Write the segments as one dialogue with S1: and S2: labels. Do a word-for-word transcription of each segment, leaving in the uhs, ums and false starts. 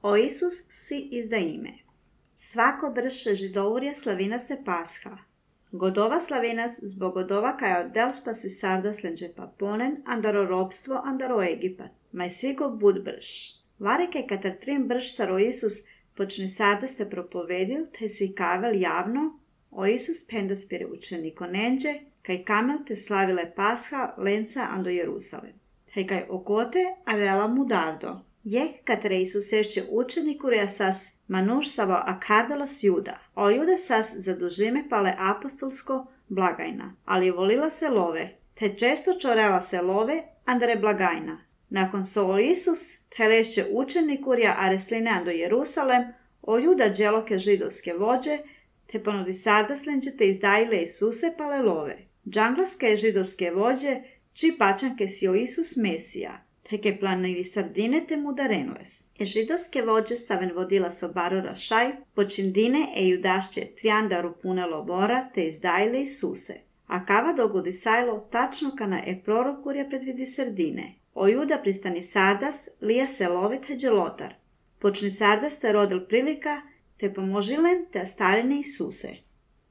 S1: O Isus si izda ime. Svako brše židovurja slavina se Pasha. Godova slavinas zbog godova kaj oddel spasi sardas lenđe paponen, andaro robstvo, andaro Egipat. Maj sigo bud brš. Varike katar trim brš saro Isus počni sardas te propovedil, te si kavel javno, o Isus pendas pire učeniko nenđe, kaj kamel te slavile Pasha lenca ando Jerusalem. Te kaj okote avela mu dardo. Jeh katre Isusešće učenikurja sas manuš savo akardolas Juda. O Juda sas zadužime pale apostolsko blagajna, ali volila se love, te često čorela se love andre blagajna. Nakon so o Isus telešće učenikurja aresline ando Jerusalem, o Juda dželoke židovske vođe, te ponudi sardaslenđe te izdajile Isuse pale love. Džanglaske židovske vođe, či pačanke si o Isus Mesija, te ke planili sardine te mu darenles. E židovske vođe saven vodila so barora šaj, počindine e judašće triandaru pune lobora te izdajile Isuse. A kava dogodi sajlo tačno kana e prorokurja predvidi sardine. O Juda pristani sardas, lija se lovite dželotar. Počni sardas te rodil prilika, te pomožilen te starine Isuse.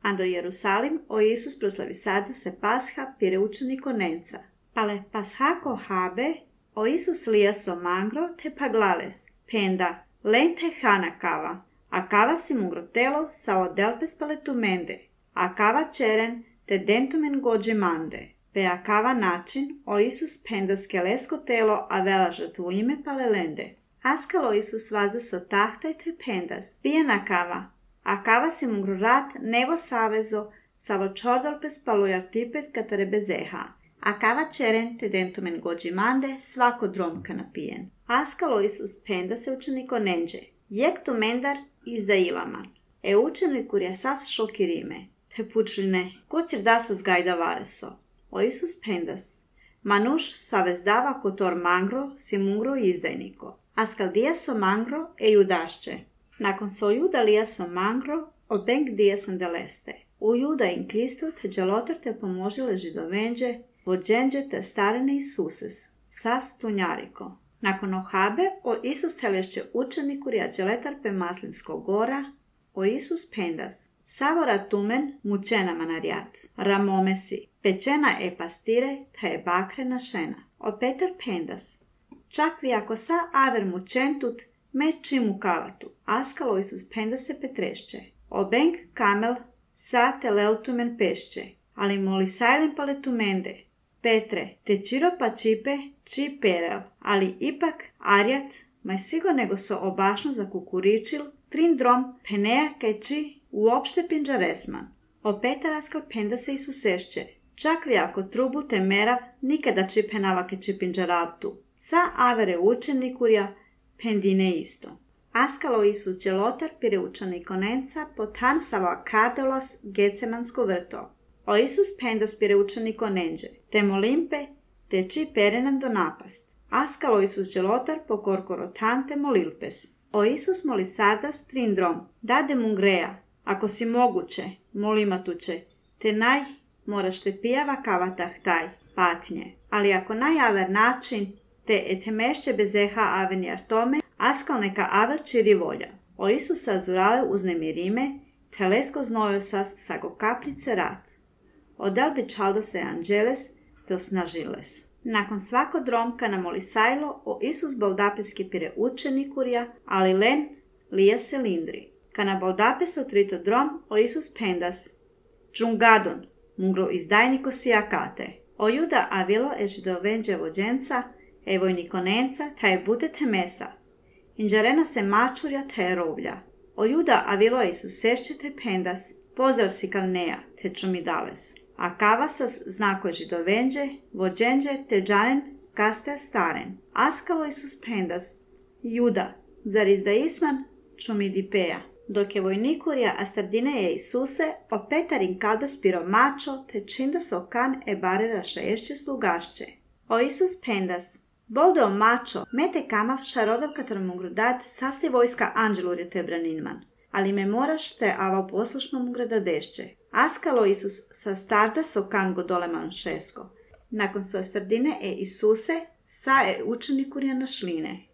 S1: Ando Jerusalim o Isus proslavi sardas se Pasha pire učeniko nenca. Pale Pashako habe, o Isus lija so mangro te paglales, penda, len te hana kava, a kava si mungrotelo sa odelpes paletumende, a kava čeren te dentumen gođe mande. Pe a kava način, o Isus penda skelesko telo a vela žrtvu ime palelende. Askalo Isus vazda so tahtaj te pendas, pijena kava, a kava si mungrurat nevo savezo, savo čordolpes palujartipet katare bezeha. A kava čeren te dentumen gođi mande, svako dromka napijen. Askalo Isus penda se učeniko nenđe, jek tu mendar izda ilaman. E učenikurja sas šokirime, te pučline, ko ćer da sas gajda vareso. O Isus pendas, manuš savezdava kotor mangro si mungro izdajniko. Askal dija so mangro e judašće. Nakon so juda lija so mangro, o benk dija sam deleste. U juda in klistu te dželotar te pomožile židovenđe, vođenđe te starine Isuses, sas tunjariko. Nakon ohabe, o Isus telešće učenikurja dželetar pe maslinsko gora, o Isus pendas. Savora tumen mučena manarjat, ramomesi, pečena e pastire, ta je bakrena šena. O Petar pendas. Čak vi ako sa aver mučentut, me čimu kavatu, askalo Isus pendas se petrešće. O benk kamel sa te leutumen pešće, ali moli sajlen paletumende. Petre, te čiro pa čipe, či perel, ali ipak arjat, maj sigo nego so obašno za kukuričil, trin drom, peneja keči, uopšte pinđaresman. O Petaraskal penda se Isusešće. Čak vi ako trubu te merav, nikada či penava keči pinđaravtu. Sa avere učenikurja, pendine isto. Askalo Isus dželotar pire učeniko nenca, potan savo akardolos gecemansko vrto. O Isus pendas pire učeniko nenđe, te molimpe, te či perenan do napast. Askalo Isus dželotar po korkorotan te molilpes. O Isus moli sardas trindrom, dade mungreja, ako si moguće, molimatuće, te naj moraš te pijava kavatah taj, patnje. Ali ako najaver način, te etemešće bezeha avenjar tome, askal neka aver čiri volja. O Isus azurale uznemirime, te lesko znojo sas sago kaplice rat. Odel bi čaldo se anđeles, te osnažiles. Nakon svako dromka namoli sajlo, o Isus baldapeski pire učenikurja, ali len lija se lindri. Kana baldapes otrito drom, o Isus pendas. Džungadon, mungro izdajniko si akate. O Juda avilo e židovenđe vođenca, e vojniko nenca, ta je butete mesa. Inđarena se mačurja, ta je rovlja. O Juda avilo e Isusešće te pendas, pozdrav si kavneja, te čumidales. A kavasas znako je židovenđe, vođenđe, te džanen, kaste staren. Askalo Isus pendas, Juda, zar izda isman, čumidipeja. Dok je vojnikurja astardine je Isuse, o Petarin kaldas piro mačo, te činda se okan e barera šaešće slugašće. O Isus pendas, boldo mačo, mete kamav šarodav katar mungru dat, sasti vojska anđelurje te braninman. Ali me moraš te ava poslušno mungra dadešće. Askalo Isus sa starda so kan godoleman šesko. Nakon so astardine e Isuse, sa e učenikurja našline.